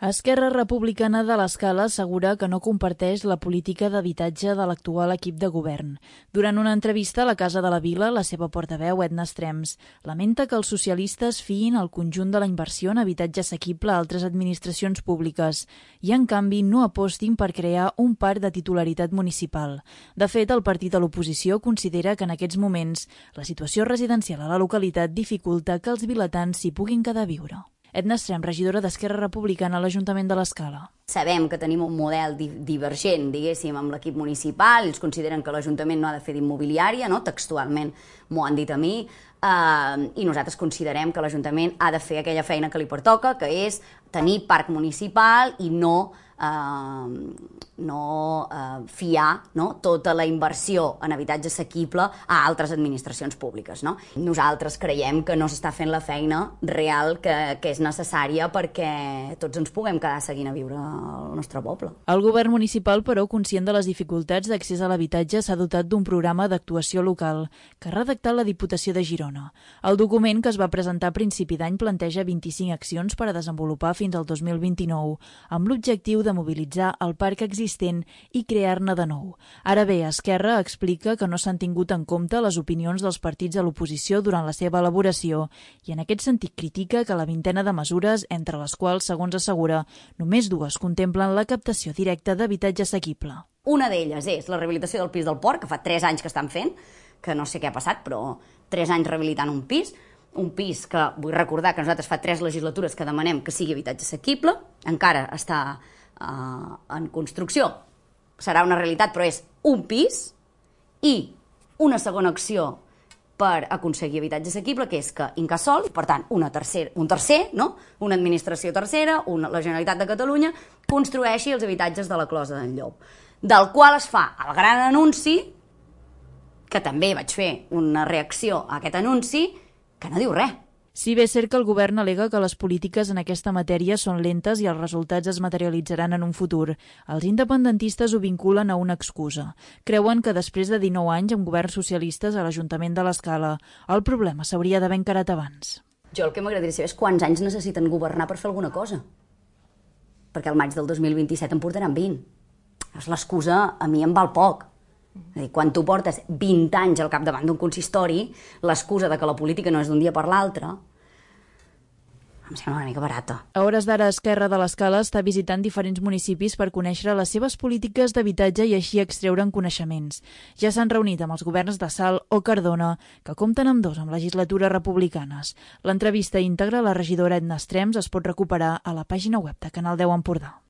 Esquerra Republicana de l'Escala assegura que no comparteix la política d'habitatge de l'actual equip de govern. Durant una entrevista a la Casa de la Vila, la seva portaveu, Edna Estrems, lamenta que els socialistes fiïn el conjunt de la inversió en habitatge assequible a altres administracions públiques i, en canvi, no apostin per crear un parc de titularitat municipal. De fet, el partit a l'oposició considera que en aquests moments la situació residencial a la localitat dificulta que els vilatans s'hi puguin quedar a viure. Edna Estrems, regidora d'Esquerra Republicana a l'Ajuntament de l'Escala. Sabem que tenim un model divergent, diguéssim, amb l'equip municipal. Ells consideren que l'Ajuntament no ha de fer d'immobiliària, no? Textualment m'ho han dit a mi, i nosaltres considerem que l'Ajuntament ha de fer aquella feina que li pertoca, que és tenir parc municipal i no fiar tota la inversió en habitatge assequible a altres administracions públiques. Nosaltres creiem que no s'està fent la feina real que és necessària perquè tots ens puguem quedar seguint a viure al nostre poble. El govern municipal, però, conscient de les dificultats d'accés a l'habitatge, s'ha dotat d'un programa d'actuació local que ha redactat la Diputació de Girona. El document, que es va presentar a principi d'any, planteja 25 accions per a desenvolupar fins al 2029, amb l'objectiu de mobilitzar el parc existent i crear-ne de nou. Ara bé, Esquerra explica que no s'han tingut en compte les opinions dels partits de l'oposició durant la seva elaboració i en aquest sentit critica que la vintena de mesures, entre les quals, segons assegura, només dues contemplen la captació directa d'habitatge assequible. Una d'elles és la rehabilitació del pis del Port, que fa 3 anys que estan fent, que no sé què ha passat, però 3 anys rehabilitant un pis que vull recordar que nosaltres fa 3 legislatures que demanem que sigui habitatge assequible, encara està en construcció, serà una realitat, però és un pis, i una segona acció per aconseguir habitatge assequible, que és que Incasòl, per tant, un tercer, una administració tercera, la Generalitat de Catalunya, construeixi els habitatges de la Closa d'en Llop, del qual es fa el gran anunci, que també vaig fer una reacció a aquest anunci, que no diu res. Si bé és cert que el govern al·lega que les polítiques en aquesta matèria són lentes i els resultats es materialitzaran en un futur, els independentistes ho vinculen a una excusa. Creuen que després de 19 anys amb governs socialistes a l'Ajuntament de l'Escala, el problema s'hauria d'haver encarat abans. Jo el que m'agradaria saber és quants anys necessiten governar per fer alguna cosa. Perquè al maig del 2027 en portaran 20. L'excusa a mi em val poc. És a dir, quan tu portes 20 anys al capdavant d'un consistori, l'excusa de que la política no és d'un dia per l'altre, em sembla una mica barata. A hores d'ara, Esquerra de l'Escala està visitant diferents municipis per conèixer les seves polítiques d'habitatge i així extreure'n coneixements. Ja s'han reunit amb els governs de Salt o Cardona, que compten amb 2 amb legislatures republicanes. L'entrevista íntegra a la regidora Edna Estrems es pot recuperar a la pàgina web de Canal 10 Empordà.